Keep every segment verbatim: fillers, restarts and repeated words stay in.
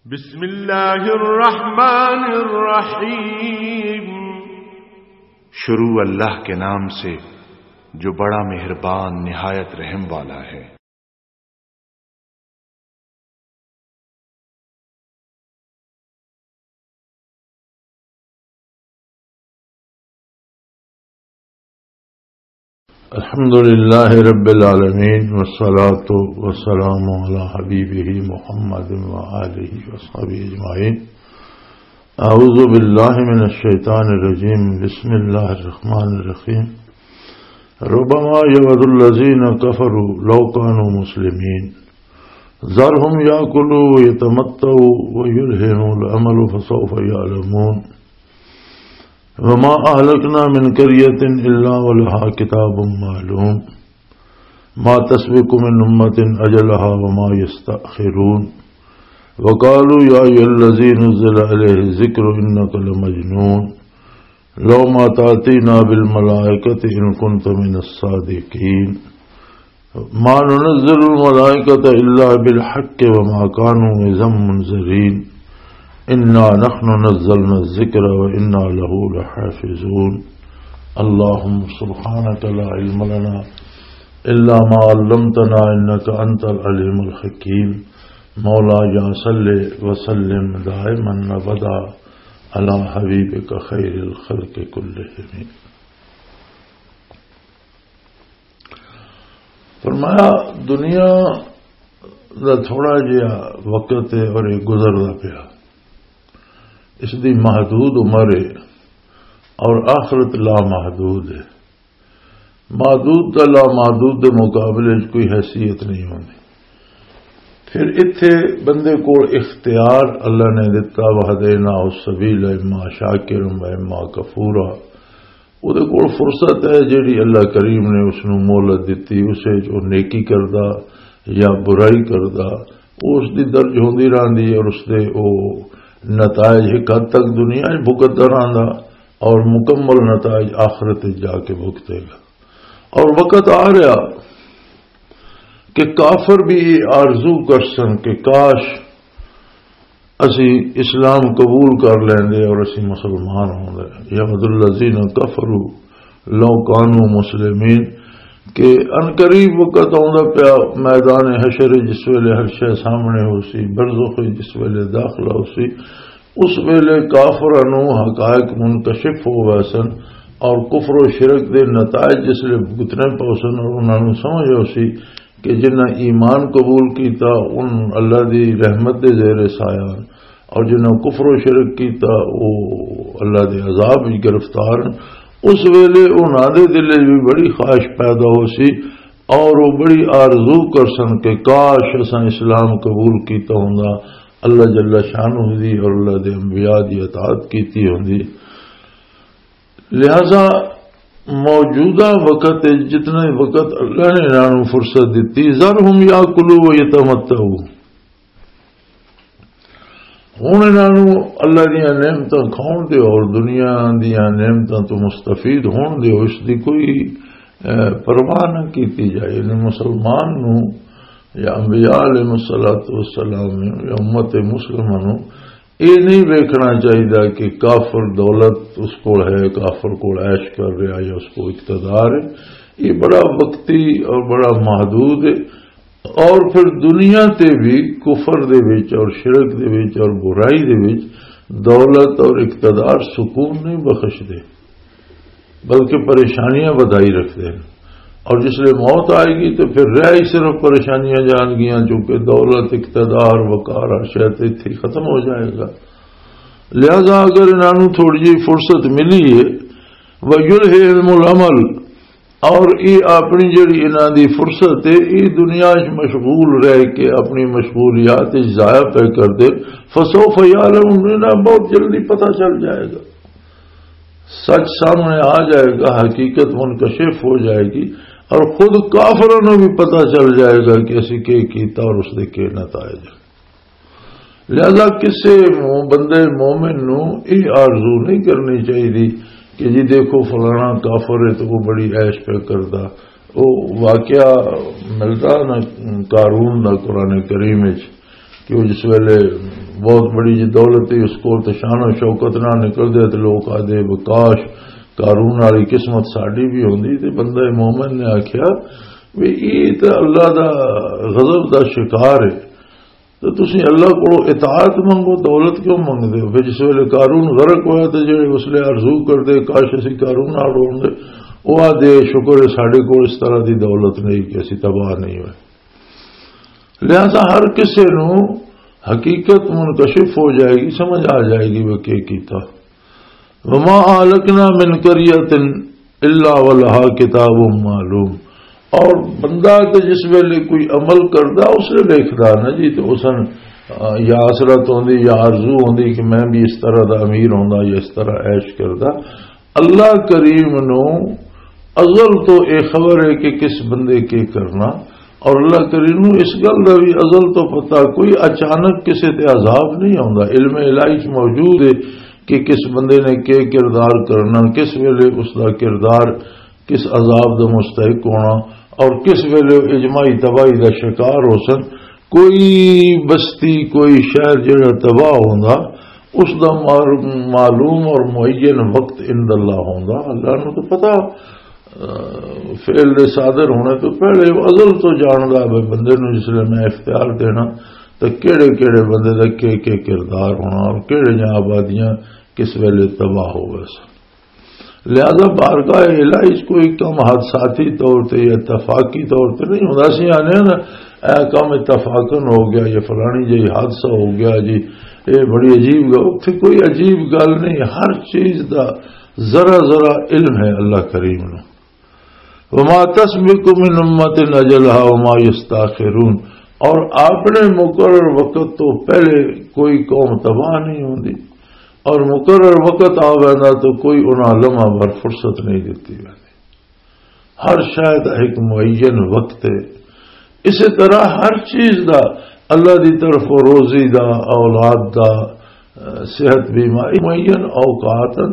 بسم اللہ الرحمن الرحیم۔ شروع اللہ کے نام سے، جو بڑا مہربان، نہایت رحم والا ہے۔ الحمد لله رب العالمين، والصلاة والسلام على حبيبه محمد وآله وصحبه أجمعين. أعوذ بالله من الشيطان الرجيم. بسم الله الرحمن الرحيم. ربما يود الذين كفروا لو كانوا مسلمين. ذرهم يأكلوا ويتمتعوا ويلههم الأمل فسوف يعلمون. وما أهلكنا من قرية إلا ولها كتاب معلوم. ما تسبق من أمة أجلها وما يستأخرون. وقالوا يا أيها الذي نزل عليه الذكر إنك لمجنون. لو ما تأتينا بالملائكة إن كنت من الصادقين. ما ننزل الملائكة إلا بالحق وما كانوا إذا منذرين. إنا نحن نزلنا الذكر وإنا له لحافظون. اللهم سبحانك لا علم لنا إلا ما علمتنا إنك أنت العليم الحكيم. مولاي صل وسلم دائما أبدا على حبيبك خير الخلق كلهم. فرمایا، دنیا دا تھوڑا جہا وقت ہے اور یہ گزردا پیا، اس دی محدود عمر ہے اور آخرت لامحدود ہے۔ محدود دا لامحدود دے مقابلے وچ کوئی حیثیت نہیں ہوندی۔ پھر اتھے بندے کول اختیار اللہ نے دتا، وہدینا السبیل اما شاکر و اما کفورا۔ او دے کول فرصت ہے جیڑی اللہ کریم نے اس نو مہلت دتی، اسے جو نیکی کردا یا برائی کردا، او اس دی درج ہوندی رہندی ہے اور اس دے او نتائج ایک حد تک دنیا وچ بھگتدا رہندا اور مکمل نتائج آخرت وچ جا کے بھگتے گا۔ اور وقت آ رہا کہ کافر بھی یہ آرزو کر سن کہ کاش اسی اسلام قبول کر لیندے اور اسی مسلمان ہوندے۔ یود الذین کفروا لو کانوا مسلمین، کہ عنقریب وقت آندا پیا میدان حشر، جس ویلے ہر شے سامنے ہو سی، برزخ جس ویلے داخلہ ہو سی، اس ویلے کافراں نوں حقائق منکشف ہو ویسن اور کفر و شرک دے نتائج جس لئے بھگتنے پوسن اور انہاں نوں سمجھ ہو سی کہ جنہاں ایمان قبول کیتا، ان اللہ دی رحمت دے زیر سایہ ہن، اور جنہاں کفر و شرک کیتا، وہ اللہ دے عذاب وچ گرفتار ہن۔ اس ویلے انہاں دے دل وچ بھی بڑی خواہش پیدا ہو سی اور وہ بڑی آرزو کر سن کہ کاش اساں اسلام قبول کیتا ہوندا، اللہ جل شانہ دی اور اللہ دے انبیاء دی اطاعت کیتی ہوندی۔ لہذا موجودہ وقت وچ جتنے وقت اللہ نے انہاں نوں فرصت دتی، ذرہم یاکلوا و یتمتعوا، ہن انہاں نوں اللہ دیاں نعمتاں کھاؤن دیو اور دنیا دیاں نعمتاں تو مستفید ہون دیو، اس دی کوئی، اے، پرواہ نہ کیتی جائے۔ یعنی مسلمان نوں یا انبیاء علیہ الصلوۃ والسلام نوں یا امت مسلمہ نوں یہ نہیں ویکھنا چاہیدا کہ کافر دولت اس کول ہے، کافر کول عیش کر رہا یا اس کو اقتدار ہے۔ یہ بڑا وقتی اور بڑا محدود ہے۔ اور پھر دنیا تے بھی کفر دے وچ اور شرک دے وچ اور برائی دے وچ دولت اور اقتدار سکون نہیں بخش دے، بلکہ پریشانیاں ودھائی رکھ دے۔ اور جس لئے موت آئے گی تو پھر رہ ہی صرف پریشانیاں جان گیاں، چونکہ دولت، اقتدار، وقار، ہر شے تے اتھے ہی ختم ہو جائے گا۔ لہذا اگر انہاں نوں تھوڑی جہی فرصت ملی ہے، وَيُلْهِهِمُ الْأَمَلُ، اور یہ اپنی جڑی انہاں دی فرصت ہے، یہ دنیا وچ مشغول رہ کے اپنی مشغولیات وچ ضائع پہ کر دے، فسوف یعلمون، انہاں بہت جلدی پتہ چل جائے گا، سچ سامنے آ جائے گا، حقیقت منکشف ہو جائے گی، اور خود کافروں نوں بھی پتہ چل جائے گا کہ اسی کی کیتا اور اس دے کی نتائج۔ لہذا کسے مو-، بندے مومن نو یہ آرزو نہیں کرنی چاہیے کہ جی دیکھو فلانا کافر ہے تو وہ بڑی عیش پہ کردا۔ وہ واقعہ ملدا نا قارون دا قرآن کریم وچ کہ وہ جس ویلے بہت بڑی جی دولت ہی اس کول، تے شان و شوکت نال نکل دے، تے لوگ آدھے، "وکاش، قارون والی قسمت ساڈی بھی ہوندی۔" تے بندہ مومن نے آکھیا، "وی اے تے اللہ دا غضب دا شکار ہے، تے تسی اللہ کولوں اطاعت منگو، دولت کیوں منگدے ہو؟" پھر جس ویلے قارون غرق ہویا، تے جڑے اس لیے آرزو کردے، "کاش اسی قارون نال ہوندے"، او آدھے، "شکر ہے ساڈے کول اس طرح دی دولت نہیں کہ اسی تباہ نہیں ہوئے۔" لہذا ہر کسے نوں حقیقت منکشف ہو جائے گی، سمجھ آ جائے گی وہ کی کیتا۔ "وما اہلکنا من قریۃ الا ولہا کتاب معلوم۔" اور بندہ تے جس ویلے کوئی عمل کردا، اس نے دیکھدا نا جی، تو اس نے، آ، یا حسرت ہوندی یا آرزو ہوندی کہ میں بھی اس طرح دا امیر ہوندا یا اس طرح عیش کردا۔ اللہ کریم نو ازل تو اے خبر ہے کہ کس بندے کے کرنا، اور اللہ کریم نو اس گل دا بھی ازل تو پتہ، کوئی اچانک کسے تے عذاب نہیں آوندا۔ علم الہی چ موجود ہے کہ کس بندے نے کے کردار کرنا، کس ویلے اس دا کردار کس عذاب دا مستحق ہونا، اور کس ویلے اجماعی تباہی دا شکار ہو سن۔ کوئی بستی، کوئی شہر جڑا تباہ ہوندا، اس دا مار-، معلوم اور معین وقت عند اللہ ہوندا۔ اللہ نوں تو پتہ، آ، فعل دے صادر ہونے تو پہلے وہ ازل تو جاندا ہے بندے نوں، جس لئے میں اختیار دینا تو کیڑے کیڑے بندے دا کے کے کردار ہونا اور کیڑے جہاں آبادیاں کس ویلے تباہ ہو گئے سن۔ لہذا بارگاہ الہی چ کوئی کم حادثاتی طور تے یا اتفاقی طور تے نہیں ہوندا۔ اسی آنے نا، "اے کم اتفاقاً ہو گیا، یہ فلانی جہی حادثہ ہو گیا جی، یہ بڑی عجیب گل۔" اتھے کوئی عجیب گل نہیں، ہر چیز دا ذرا ذرا علم ہے اللہ کریم نو۔ "وما تسبق من امة اجلها وما يستاخرون۔" اور اپنے مقرر وقت تو پہلے کوئی قوم تباہ نہیں ہوندی، اور مقرر وقت آ ویندا تو کوئی انہاں لمحہ بھر فرصت نہیں دتی ویندی۔ ہر شے دا ایک معین وقت ہے۔ اسی طرح ہر چیز دا، اللہ دی طرف روزی دا، اولاد دا، صحت بیماری، معین اوقات ہن،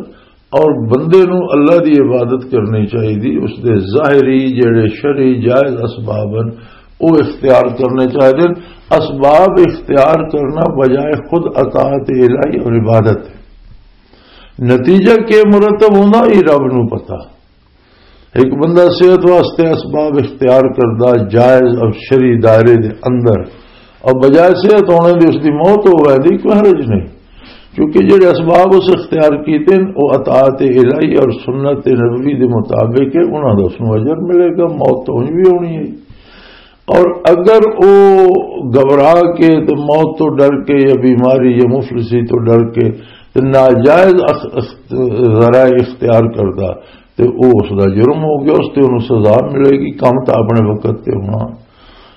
اور بندے نوں اللہ دی عبادت کرنی چاہیے، اس دے ظاہری جڑے شرعی جائز اسباب ہن، وہ اختیار کرنے چاہیے۔ اسباب اختیار کرنا بجائے خود اطاعت الہی اور عبادت ہے۔ نتیجہ کہ مرتب ہوندا، یہ رب نوں پتہ۔ ایک بندہ صحت واسطے اسباب اختیار کردا جائز اور شرعی دائرے دے اندر، اور بجائے صحت ہونے دی اس دی موت ہو ویندی، کوئی حرج نہیں، کیونکہ جڑے اسباب اس اختیار کیتے ہیں، وہ اطاعت الہی اور سنت نبوی دے مطابق ہے، انہاں دا اس نوں اجر ملے گا، موت تو اونج بھی ہونی ہے۔ اور اگر وہ گھبرا کے تے موت تو ڈر کے یا بیماری یا مفلسی تو ڈر کے تے ناجائز اخ-، اخ-، ذرائع اختیار کردا، تے او اس دا جرم ہو گیا، اس تے انہوں سزا ملے گی، کم تاں اپنے وقت تے ہونا۔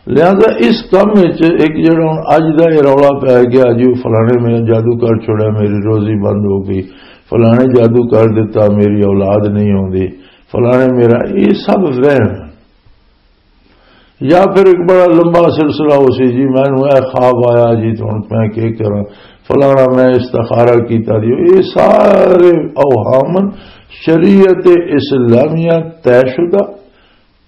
لہذا اس کم وچ ایک جڑا ہن اج دا یہ رولا پی گیا جی، فلانے میں جادو کر چھوڑیا، میری روزی بند ہو گئی، فلانے جادو کر دیتا، میری اولاد نہیں ہوندی، فلانے میرا، یہ سب وہم۔ یا پھر ایک بڑا لمبا سلسلہ ہو سی جی، مینوں اے خواب آیا جی، تے ہن میں کی کراں، فلانا میں استخارہ کیتا جی، یہ سارے اوہام شریعت اسلامیہ طے شدہ،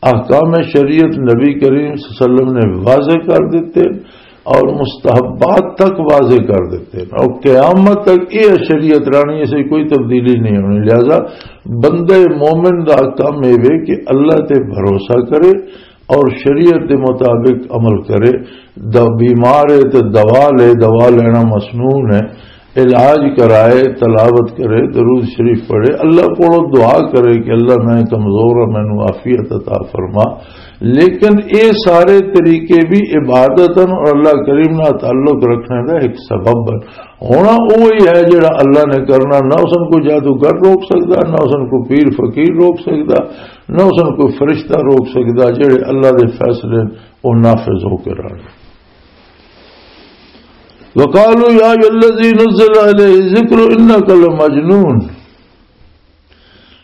احکام شریعت نبی کریم صلی اللہ علیہ وسلم نے واضح کر دیتے اور مستحبات تک واضح کر دیتے ہیں، اور قیامت تک یہ شریعت رہنی، اسے کوئی تبدیلی نہیں ہونی۔ لہذا بندے مومن دا کم یہ وے کہ اللہ تے بھروسہ کرے اور شریعت دے مطابق عمل کرے۔ د-، بیمار ہے تے دوا لے، دوا لینا مسنون ہے، علاج کرائے، تلاوت کرے، درود شریف پڑھے، اللہ کو دعا کرے کہ اللہ میں کمزور ہوں، مینوں عافیت عطا فرما۔ لیکن اے سارے طریقے بھی عبادت ہیں اور اللہ کریم نال تعلق رکھنے دا ایک سبب ہے۔ ہونا وہی ہے جڑا اللہ نے کرنا، نہ اس کو جادوگر روک سکدا، نہ اس کو پیر فقیر روک سکدا، نہ اس کو فرشتہ روک سکدا۔ جڑے اللہ دے فیصلے وہ نافذ ہو کے رہنے۔ وقالوا یا ایھا الذی نزل علیہ الذکر انک لمجنون۔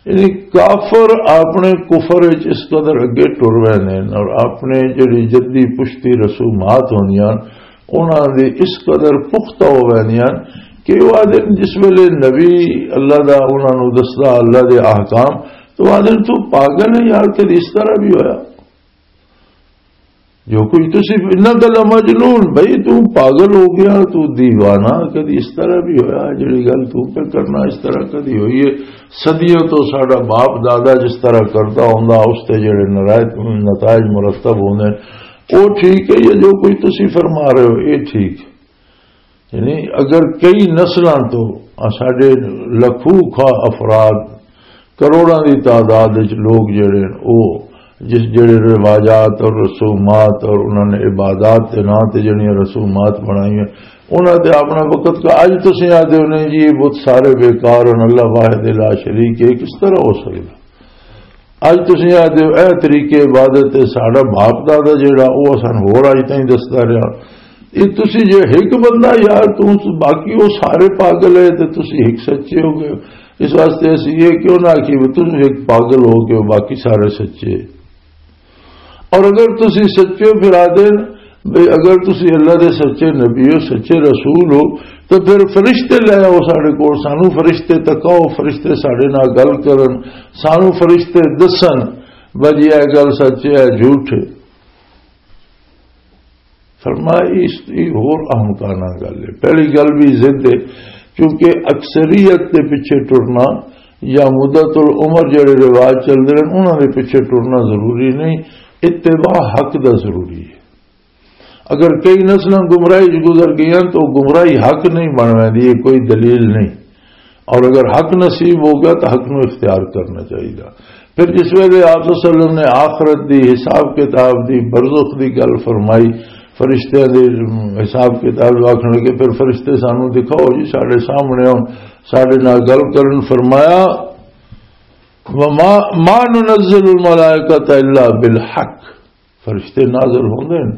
یعنی کافر اپنے کفر وچ اس قدر اگے ٹر رہے ہیں اور اپنے جڑی جدی پشتی رسومات ہوندیاں، انہاں دی اس قدر پختہ ہو ویندیاں کہ وہ آدھے جس ویلے نبی اللہ دا انہاں نوں دسدا اللہ دے احکام، تو وہ آدھے تو پاگل ہے یار، کدی اس طرح بھی ہویا؟ جو کچھ تسی، انک لمجنون، بھئی تو پاگل ہو گیا، تو دیوانہ، کدی اس طرح بھی ہویا؟ جڑی گل تو پہ کرنا، اس طرح کدی ہوئی ہے؟ صدیوں تو ساڈا باپ دادا جس طرح کردا ہوندا، اس تے جڑے نرائت نتائج مرتب ہوندے، او ٹھیک ہے؟ یا جو کچھ تسی فرما رہے ہو، اے ٹھیک؟ یعنی اگر کئی نسلاں تو ساڈے لکھوں کھا افراد، کروڑاں دی تعداد وچ لوگ جڑے ہن، او جس جڑے رواجات اور رسومات اور انہاں نے عبادات دے ناں تے جڑیاں رسومات بنائیاں، انہاں تے اپنا وقت کا، اج تسیں آدھے ہو نہیں جی، یہ بت سارے بیکار ہن، اللہ واحد لا شریک ہے، کس طرح ہو سکدا؟ اج تسیں آدھے ہو، اے طریقے عبادت تے ساڈا باپ دادا جڑا، او اساں ہور اج تائیں دسدا رہیا۔ یہ تسی جے ایک بندہ یار، تو باقی وہ سارے پاگل ہے، تے تسی ایک سچے ہو گئے ہو۔ اس واسطے اسی یہ کیوں نہ آکھیے، وہ تسی ایک پاگل ہو گئے ہو، باقی سارے سچے۔ اور اگر تسی سچے ہو، پھر آدھے نے، بھئی اگر تسی اللہ دے سچے نبی ہو، سچے رسول ہو، تو پھر فرشتے لے آؤ ساڈے کول، سانو فرشتے تکاؤ، فرشتے ساڈے نال گل کرن، سانو فرشتے دسن، بھئی یہ گل سچ ہے، جھوٹ ہے۔ فرمایا، اس کی ہور اہم کانا گل ہے۔ پہلی گل بھی ضد ہے، کیونکہ اکثریت دے پیچھے ٹرنا یا مدت العمر جڑے رواج چلدے ہیں، انہاں دے پیچھے ٹرنا ضروری نہیں، اتباع حق دا ضروری ہے۔ اگر کئی نسلاں گمراہی چ گزر گئیاں تو گمراہی حق نہیں بن ویندی، یہ کوئی دلیل نہیں۔ اور اگر حق نصیب ہو گیا تو حق نو اختیار کرنا چاہیے۔ پھر جس ویلے آپ صلی اللہ علیہ وسلم نے آخرت دی، حساب کتاب دی، برزخ دی گل فرمائی، فرشتیاں دے حساب کتاب آکھن لگے، پھر فرشتے سانو دکھاؤ جی، ساڈے سامنے ہون، ساڈے نال گل کرن۔ فرمایا، وما ما ننزل الملائکۃ الا بالحق، فرشتے نازل ہوندے نے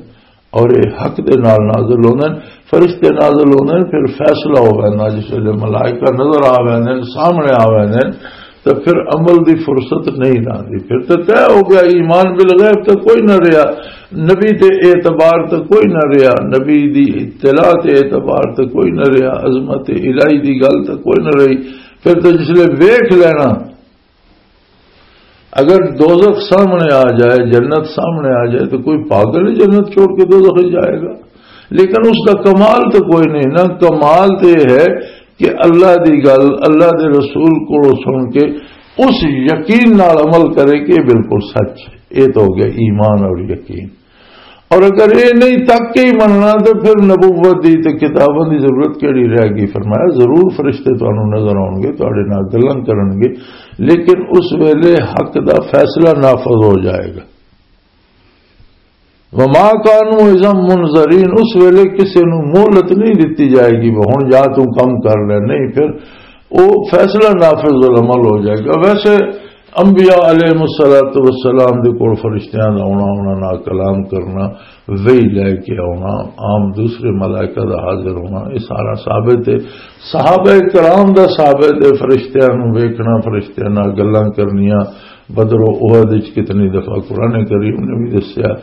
اور یہ حق دے نال نازل ہوندے نے۔ فرشتے نازل ہوندے نے، پھر فیصلہ ہو ویندا، جس ویلے ملائکہ نظر آ ویندے نے، سامنے آ ویندے نے، تو پھر عمل دی فرصت نہیں رہندی۔ پھر تو طے ہو گیا، ایمان بالغیب تو کوئی نہ رہیا، نبی تے اعتبار تو کوئی نہ رہیا، نبی دی اطلاع تے اعتبار تو کوئی نہ رہیا، عظمت الہی دی گل تو کوئی نہ رہی۔ پھر تو جس ویلے ویکھ لینا، اگر دوزخ سامنے آ جائے، جنت سامنے آ جائے، تو کوئی پاگل ہی جنت چھوڑ کے دوزخ ہی جائے گا؟ لیکن اس کا کمال تو کوئی نہیں۔ نہ، کمال تو یہ ہے کہ اللہ دی گل، اللہ دے رسول کو سن کے اس یقین نال عمل کرے کہ یہ بالکل سچ ہے۔ یہ تو ہو گیا ایمان اور یقین۔ اور اگر یہ نہیں تک کے ہی مننا، تو پھر نبوت دی تے کتاباں دی ضرورت کیڑی رہ گئی؟ فرمایا، ضرور فرشتے تانوں نظر آؤن گے، تہاڈے نال گلاں کرن گے، لیکن اس ویلے حق دا فیصلہ نافذ ہو جائے گا۔ وما کانوا اذا منذرین، اس ویلے کسے نوں مہلت نہیں دتی جائے گی، وہ ہن یا توں کم کر لے، نہیں، پھر وہ فیصلہ نافذ العمل ہو جائے گا۔ ویسے انبیاء علیہ الصلوۃ والسلام دے کول فرشتیاں دا آنا، انہاں نال کلام کرنا، وحی لے کے آنا، عام دوسرے ملائکہ دا حاضر ہونا، یہ سارا ثابت ہے۔ صحابہ کرام دا ثابت ہے، فرشتیاں نوں ویکھنا، فرشتیاں نال گلاں کرنیاں۔ بدر و احد وچ کتنی دفعہ قرآن کریم نے بھی دسیا،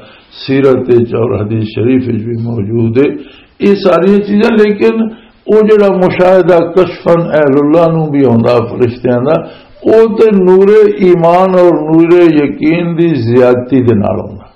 سیرت وچ اور حدیث شریف وچ بھی موجود ہے یہ ساری چیزاں۔ لیکن وہ جڑا مشاہدہ کشفاً اہل اللہ نوں بھی ہوندا فرشتیاں دا، وہ تے نور ایمان اور نور یقین دی زیادتی دے نال ہوندا۔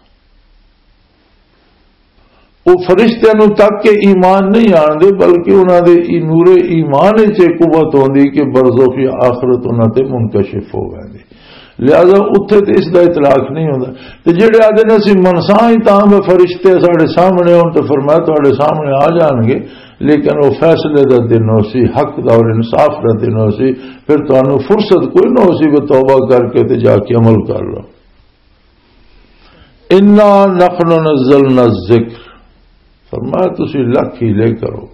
وہ فرشتیاں نوں تک کے ایمان نہیں آندے، بلکہ انہاں دے ای-، نور ایمان وچ یہ قوت ہوندی کہ برزخ یا آخرت انہاں تے منکشف ہو ویندی۔ لہذا اتھے تے اس دا اطلاق نہیں ہوندا۔ تے جڑے آدھے نے اسی منساں ہی تاں میں فرشتے ساڈے سامنے ہون، تے فرمایا تہاڈے سامنے آ جان گے، لیکن وہ فیصلے دا دن ہو سی، حق دا اور انصاف دا دن ہو سی، پھر تانوں فرصت کوئی نہ ہو سی کہ توبہ کر کے تے جا کے عمل کر لو۔ انا نحن نزلنا الذکر، فرمایا تسی لکھ ہی لے کرو،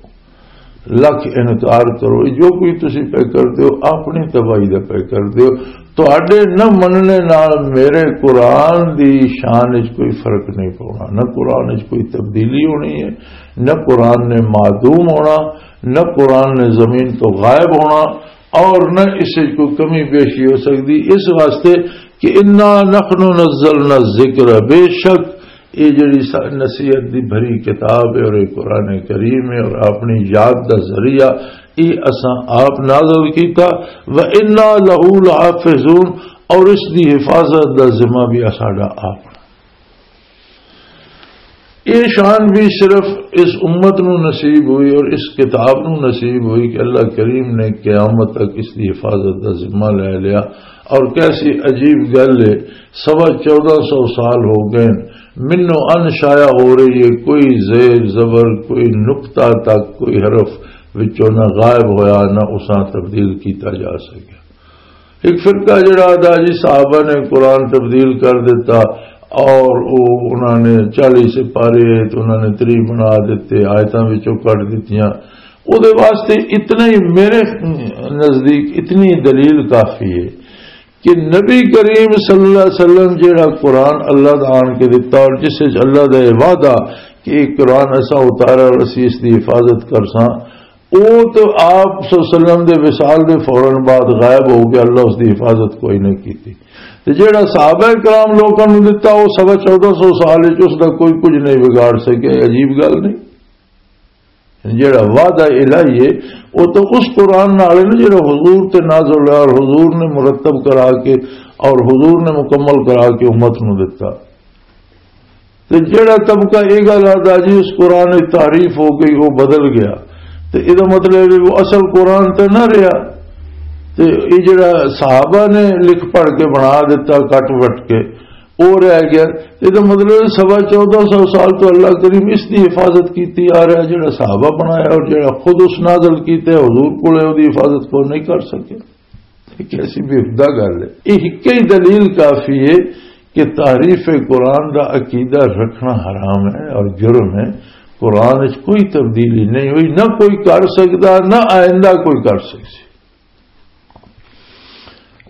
لکھ انکار کرو، جو کوئی تسی پہ کر دیو، اپنی تباہی دے پہ کر دیو۔ تہاڈے نہ مننے نال میرے قرآن دی شان وچ کوئی فرق نہیں پاؤنا، نہ قرآن وچ کوئی تبدیلی ہونی ہے، نہ قرآن نے معدوم ہونا، نہ قرآن نے زمین تو غائب ہونا، اور نہ اس وچ کوئی کمی بیشی ہو سکدی۔ اس واسطے کہ انا نحن نزلنا الذکر، بے شک یہ جڑی سا-، نصیحت دی بھری کتاب ہے اور یہ قرآن کریم ہے اور اپنی یاد دا ذریعہ، یہ اساں آپ نازل کیتا۔ و انا لہ لحافظون، اور اس دی حفاظت دا ذمہ بھی ساڈا آپ۔ یہ شان بھی صرف اس امت نو نصیب ہوئی اور اس کتاب نو نصیب ہوئی کہ اللہ کریم نے قیامت تک اس کی حفاظت کا ذمہ لے لیا۔ اور کیسی عجیب گل ہے، سوا چودہ سو سال ہو گئے، منو ان شایا ہو رہی ہے، کوئی زیر زبر، کوئی نقطہ تک، کوئی حرف وچوں نہ غائب ہویا، نہ اساں تبدیل کیتا جا سکیا۔ ایک فرقہ جڑا آدا جی صحابہ نے قرآن تبدیل کر دیتا اور وہ انہوں نے چالیس سپارے تو انہوں نے تری بنا دیتے، آیتاں وچوں کٹ دتیاں۔ او دے واسطے اتنا ہی میرے نزدیک اتنی دلیل کافی ہے کہ نبی کریم صلی اللہ علیہ وسلم جڑا قرآن اللہ دا آن کے دتا اور جس وچ اللہ دا یہ وعدہ کہ یہ قرآن ایسا اتارا اور اسی اس دی حفاظت کر ساں، او تو آپ صلی اللہ علیہ وسلم دے وصال دے فوراً بعد غائب ہو گیا، اللہ اس دی حفاظت کوئی نہیں کیتی۔ تے جیڑا صحابہ کرام لوکاں نوں دتا، او سوا چودہ سو سال وچ اس دا کوئی کچھ نہیں بگاڑ سکیا۔ یہ عجیب گل نہیں؟ جیڑا وعدہ الہی ہے، او تو اس قرآن نال ہے نا، جیڑا حضور تے نازل ہوا اور حضور نے مرتب کرا کے اور حضور نے مکمل کرا کے امت نوں دتا۔ تے جیڑا طبقہ یہ گل آتا جی اس قرآن وچ تحریف ہو گئی، وہ بدل گیا، تے یہ مطلب ہے وہ اصل قرآن تے نہ رہا۔ تے یہ جیڑا صحابہ نے لکھ پڑھ کے بنا دیتا، کٹ وٹ کے، وہ رہ گیا۔ یہ مطلب ہے سوا چودہ سو سال تو اللہ کریم اس دی حفاظت کیتی آ رہا، جیڑا صحابہ بنایا اور جیڑا خود اس نازل کیتے حضور کولے، وہ دی حفاظت کو نہیں کر سکے۔ یہ کیسی بے ہدا گل ہے؟ یہ ایک ہی دلیل کافی ہے کہ تحریف قرآن دا عقیدہ رکھنا حرام ہے اور جرم ہے۔ قرآن وچ کوئی تبدیلی نہیں ہوئی، نہ کوئی کر سکدا، نہ آئندہ کوئی کر سکسی۔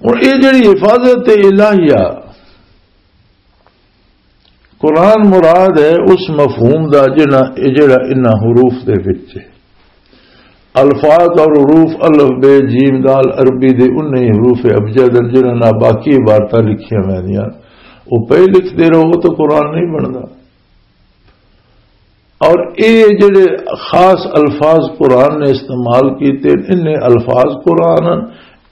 ہن یہ جڑی حفاظت الہیہ، قرآن مراد ہے اس مفہوم دا جنہاں، اے جڑا انہاں حروف دے وچ ہے۔ الفاظ اور حروف الف بے جیم دال عربی دے انہی حروف ابجد ہیں جنہاں نال باقی عبارتاں لکھیاں ویندیاں۔ او پے لکھدے رہو تو قرآن نہیں بندا۔ اور اے جڑے خاص الفاظ قرآن نے استعمال کیتے، انہیں الفاظ قرآن ہیں،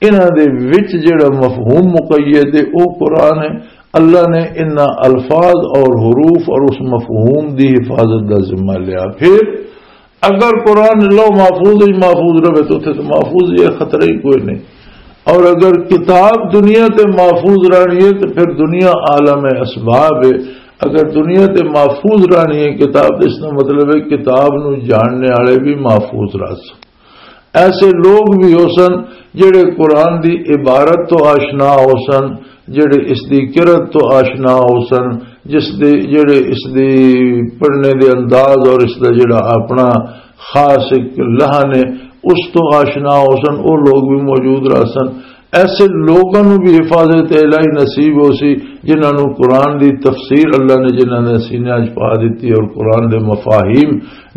انہاں دے وچ جڑا مفہوم مقید ہے، او قرآن ہے۔ اللہ نے انہاں الفاظ اور حروف اور اس مفہوم دی حفاظت دا ذمہ لیا۔ پھر اگر قرآن لوح محفوظ وچ محفوظ رہے تو اتھے تو محفوظ ہی ہے، خطرہ ہی کوئی نہیں۔ اور اگر کتاب دنیا تے محفوظ رہنی ہے تو پھر دنیا عالم اسباب ہے۔ اگر دنیا تے محفوظ رہنی ہے کتاب، اس کا مطلب ہے کتاب نو جاننے والے بھی محفوظ رہ سن۔ ایسے لوگ بھی ہو سن جڑے قرآن دی عبارت تو آشنا ہو سن، جڑے اس دی قرت تو آشنا ہو سن، جس دے، جڑے اس دی پڑھنے دے انداز اور اس دا جڑا اپنا خاص ایک لہن ہے، اس تو آشنا ہو سن، وہ لوگ بھی موجود رہ سن۔ ایسے لوگوں نوں بھی حفاظت الہی نصیب ہو سی، جنہاں نوں قرآن دی تفسیر اللہ نے جنہاں نے سینیاں وچ پا دتی اور قرآن دے مفاہیم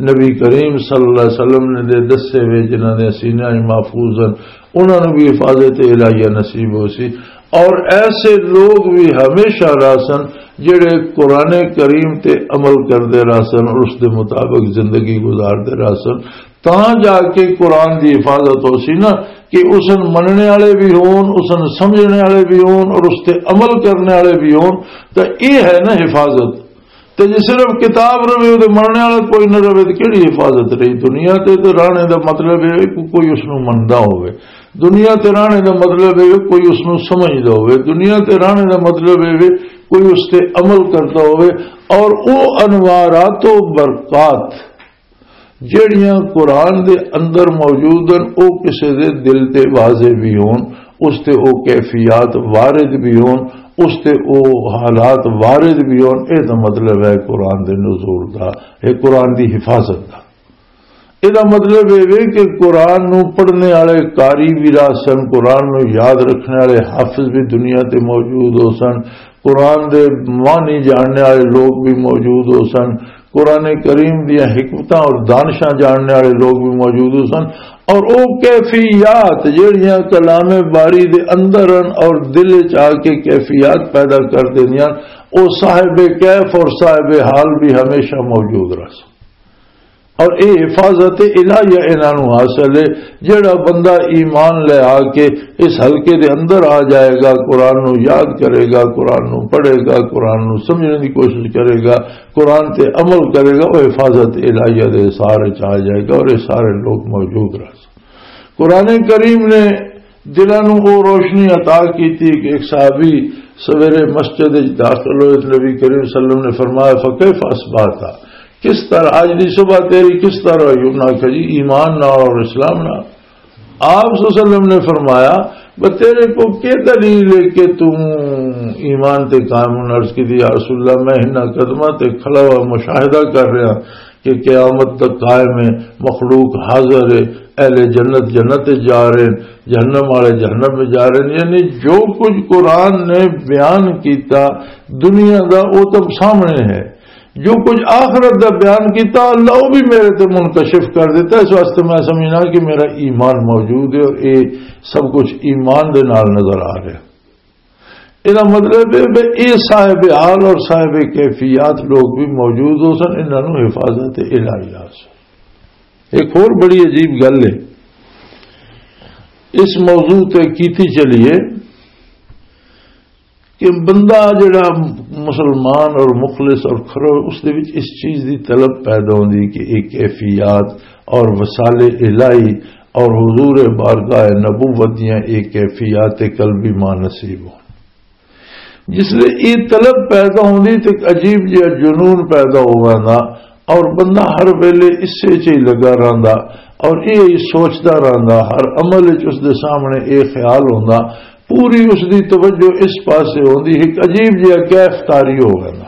نبی کریم صلی اللہ علیہ وسلم نے دے دسے ہوئے جنہاں نے سینیاں وچ محفوظ ہیں، انہاں نوں بھی حفاظت الہیہ نصیب ہو سی۔ اور ایسے لوگ بھی ہمیشہ رہ سن جڑے قرآن کریم تے عمل کردے رہ سن اور اس دے مطابق زندگی گزاردے رہ سن، تاں جا کے قرآن دی حفاظت ہو سی نا، کہ اس نوں مننے والے بھی ہون، اس نوں سمجھنے والے بھی ہون اور اس تے عمل کرنے والے بھی ہون۔ تو یہ ہے نا حفاظت۔ تے جے صرف کتاب رہے تے مننے والا کوئی نہ رہے تے کیڑی حفاظت رہی؟ دنیا تے تے رہنے دا مطلب ہے کہ کوئی اس نوں مندا ہوئے، دنیا تے رہنے دا مطلب ہے کوئی اس نوں سمجھدا ہوئے، دنیا تے رہنے دا مطلب ہے کوئی اس تے عمل کردا ہوئے۔ اور او انوارات و برکات جڑیاں قرآن دے اندر موجود ہیں، او کسے دے دل تے واضح بھی ہون، اس تے او کیفیات وارد بھی ہون، اس تے او حالات وارد بھی ہون۔ اے دا مطلب ہے قرآن دے نزول دا، اے قرآن دی حفاظت دا۔ اے دا مطلب اے وے کہ قرآن نو پڑھنے والے قاری بھی رہ سن، قرآن نو یاد رکھنے والے حافظ بھی دنیا تے موجود ہو سن، قرآن دے معنی جاننے والے لوگ بھی موجود ہو سن، قرآن کریم دیاں حکمتاں اور دانشاں جاننے والے لوگ بھی موجود ہو سن، اور او کیفیات جڑیاں کلام باری دے اندر ہن اور دل وچ آ کے کیفیات پیدا کر دیندیاں، او صاحب کیف اور صاحب حال بھی ہمیشہ موجود رہ سن۔ اور اے حفاظت الہیہ انہاں نوں حاصل ہے۔ جڑا بندہ ایمان لے آ کے اس حلقے دے اندر آ جائے گا، قرآن نوں یاد کرے گا، قرآن نوں پڑھے گا، قرآن نوں سمجھنے دی کوشش کرے گا، قرآن تے عمل کرے گا، وہ حفاظت الہیہ دے حصار وچ آ جائے گا اور یہ سارے لوگ موجود رہ سن۔ قرآن کریم نے دلاں نوں او روشنی عطا کیتی کہ ایک صحابی سویرے مسجد وچ داخل ہوئے، نبی کریم صلی اللہ علیہ وسلم نے فرمایا، "فکیف اصبحت؟" کس طرح آج دی صبح تیری کس طرح ہوئی؟ انہاں کہا، "جی، ایمان نال اور اسلام نال۔" آپ صلی اللہ علیہ وسلم نے فرمایا، "بس تیرے کو کیا دلیل ہے کہ تم ایمان تے قائم ہونا؟" عرض کی، "یا رسول اللہ، میں انہاں قدماں تے کھڑا ہوا مشاہدہ کر رہا کہ قیامت تک قائم ہے، مخلوق حاضر ہے، اہل جنت جنت وچ جا رہے ہیں، جہنم والے جہنم میں جا رہے ہیں۔" یعنی جو کچھ قرآن نے بیان کیتا دنیا دا، وہ تو سامنے ہے۔ جو کچھ آخرت دا بیان کیتا، اللہ وہ بھی میرے تے منکشف کر دیتا۔ اس واسطے میں سمجھنا کہ میرا ایمان موجود ہے اور یہ سب کچھ ایمان دے نال نظر آ رہا ہے۔ یہ مطلب ہے کہ یہ صاحب حال اور صاحب کیفیات لوگ بھی موجود ہو سن، انہاں نوں حفاظت الہی آ سن۔ ایک اور بڑی عجیب گل ہے، اس موضوع تے کیتی چلیے کہ بندہ جڑا مسلمان اور مخلص اور کھرو، اس دے وچ اس چیز دی طلب پیدا ہوندی کہ ایک کیفیات اور وسائل الہی اور حضور بارگاہ نبوت دیاں ایک کیفیات قلبی ماں نصیب ہو۔ جس لئے یہ طلب پیدا ہوندی تے ایک عجیب جہا جنون پیدا ہو ویندا اور بندہ ہر ویلے اسے چ ہی لگا رہندا اور یہ ہی سوچدا رہندا، ہر عمل وچ اس دے سامنے یہ خیال ہوندا، پوری اس دی توجہ اس پاسے ہوندی، ایک عجیب جہا کیف طاری ہو ویندا۔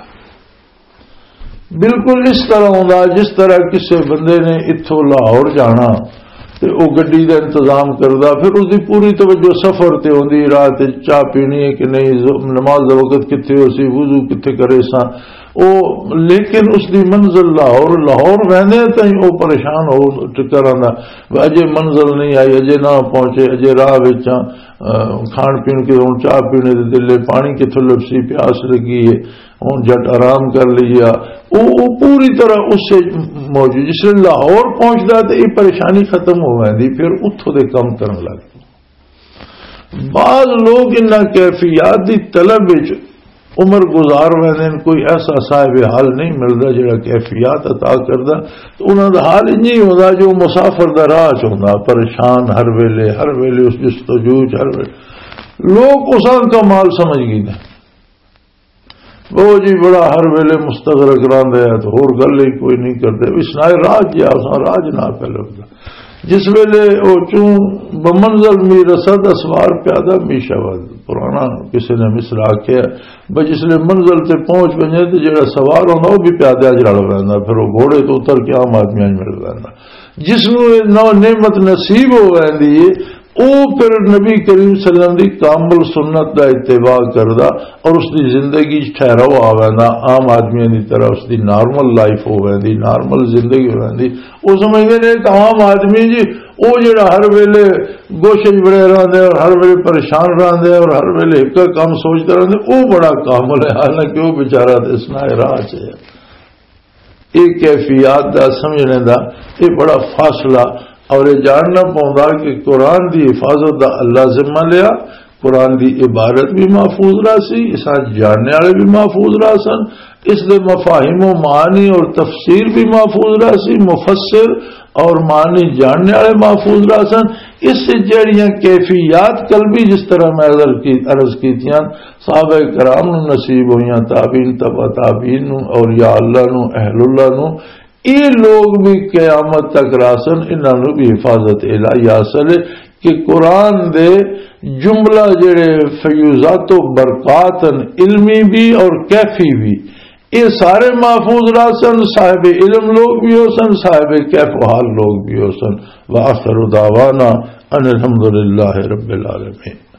بالکل اس طرح ہوندا جس طرح کسے بندے نے اتھوں لاہور جانا تے او گڈی دا انتظام کردا، پھر اس دی پوری توجہ سفر تے ہوندی، راہ تے چاہ پینی ہے کہ نہیں، ز-، نماز دا وقت کتھے ہو سی، وضو کتھے کرے سا۔ او، لیکن اس دی منزل لاہور، لاہور ویندے تائیں او پریشان ہو ٹکر آندا، اجے منزل نہیں آئی، اجے نہ پہنچے، اجے راہ وچ آ، آ، کھان پین کے ہن چاہ پینے دے دلے، پانی کتھوں لبسی، پیاس لگی ہے، ہن جٹ آرام کر لیا۔ او، او پوری طرح اس سے موجود، جس لئے لاہور پہنچدا تے یہ پریشانی ختم ہو ویندی، پھر اتھوں دے کم کرن لگ پئے۔ بعض لوگ انہاں کیفیات دی طلب وچ عمر گزار ویندے نے، کوئی ایسا صاحب حال نہیں ملدا جڑا کیفیات عطا کردا۔ تو انہاں دا حال انج ہی ہوندا جو مسافر دا راہ چ ہوندا، پریشان ہر ویلے، ہر ویلے اس جستجو چ، ہر ویلے۔ لوگ اس کا مال سمجھ گئے نے۔ وہ جی بڑا ہر ویلے مستغرق رہندا ہے، تو ہور گل ہی کوئی نہیں کرتے۔ اس نائے راج جا، اساں راج نہ پہ لبدا۔ جس ویلے او چوں بمنزل می رسد اسوار پیادہ می شود۔ پرانا کسی نے مصرع آکھیا، بس جس لے منزل تے پہنچ ونجے تے جڑا سوار ہوندا، او بھی پیادہ اج رل ویندا، پھر او گھوڑے تو اتر کے عام آدمیاں نوں مل ویندا۔ جس نوں اے نو-، نعمت نصیب ہو ویندی ہے، او پھر نبی کریم صلی اللہ علیہ وسلم دی کامل سنت دا اتباع کردا اور اس دی زندگی چ ٹھہراؤ آ ویندا، عام آدمیاں دی طرح اس دی نارمل لائف ہو ویندی، نارمل زندگی ہو ویندی۔ او سمجھدے نے کہ عام آدمی جی، او جڑا ہر ویلے گوشے وچ بڑے رہندے اور ہر ویلے پریشان رہندے اور ہر ویلے ایک کم سوچدے رہندے، او بڑا کامل ہے، حالانکہ او بیچارہ تے اس نائے راہ چ ہے۔ یہ کیفیات دا سمجھنے دا یہ بڑا فاصلہ اور یہ جاننا پوندا کہ قرآن دی حفاظت دا اللہ ذمہ لیا، قرآن دی عبارت بھی محفوظ رہا سی، اساں جاننے والے بھی محفوظ رہا سن، اس دے مفاہیم و معانی اور تفسیر بھی محفوظ رہا سی، مفسر اور معنی جاننے والے محفوظ رہا سن۔ اس سے جڑیاں کیفیات قلبی، جس طرح میں عرض کی، عرض کیتیاں، صحابہ کرام نو نصیب ہوئیاں، تابعین، تبع تابعین نو، اولیاء اللہ نو، اہل اللہ نو، یہ لوگ بھی قیامت تک رہا سن، انہاں نو بھی حفاظت الہی حاصل ہے کہ قرآن دے جملہ جڑے فیوزات و برکات ہیں، علمی بھی اور کیفی بھی، یہ سارے محفوظ رہا سن، صاحب علم لوگ بھی ہو سن، صاحب کیف و حال لوگ بھی ہو سن۔ وآخر دعوانا ان الحمدللہ رب العالمین۔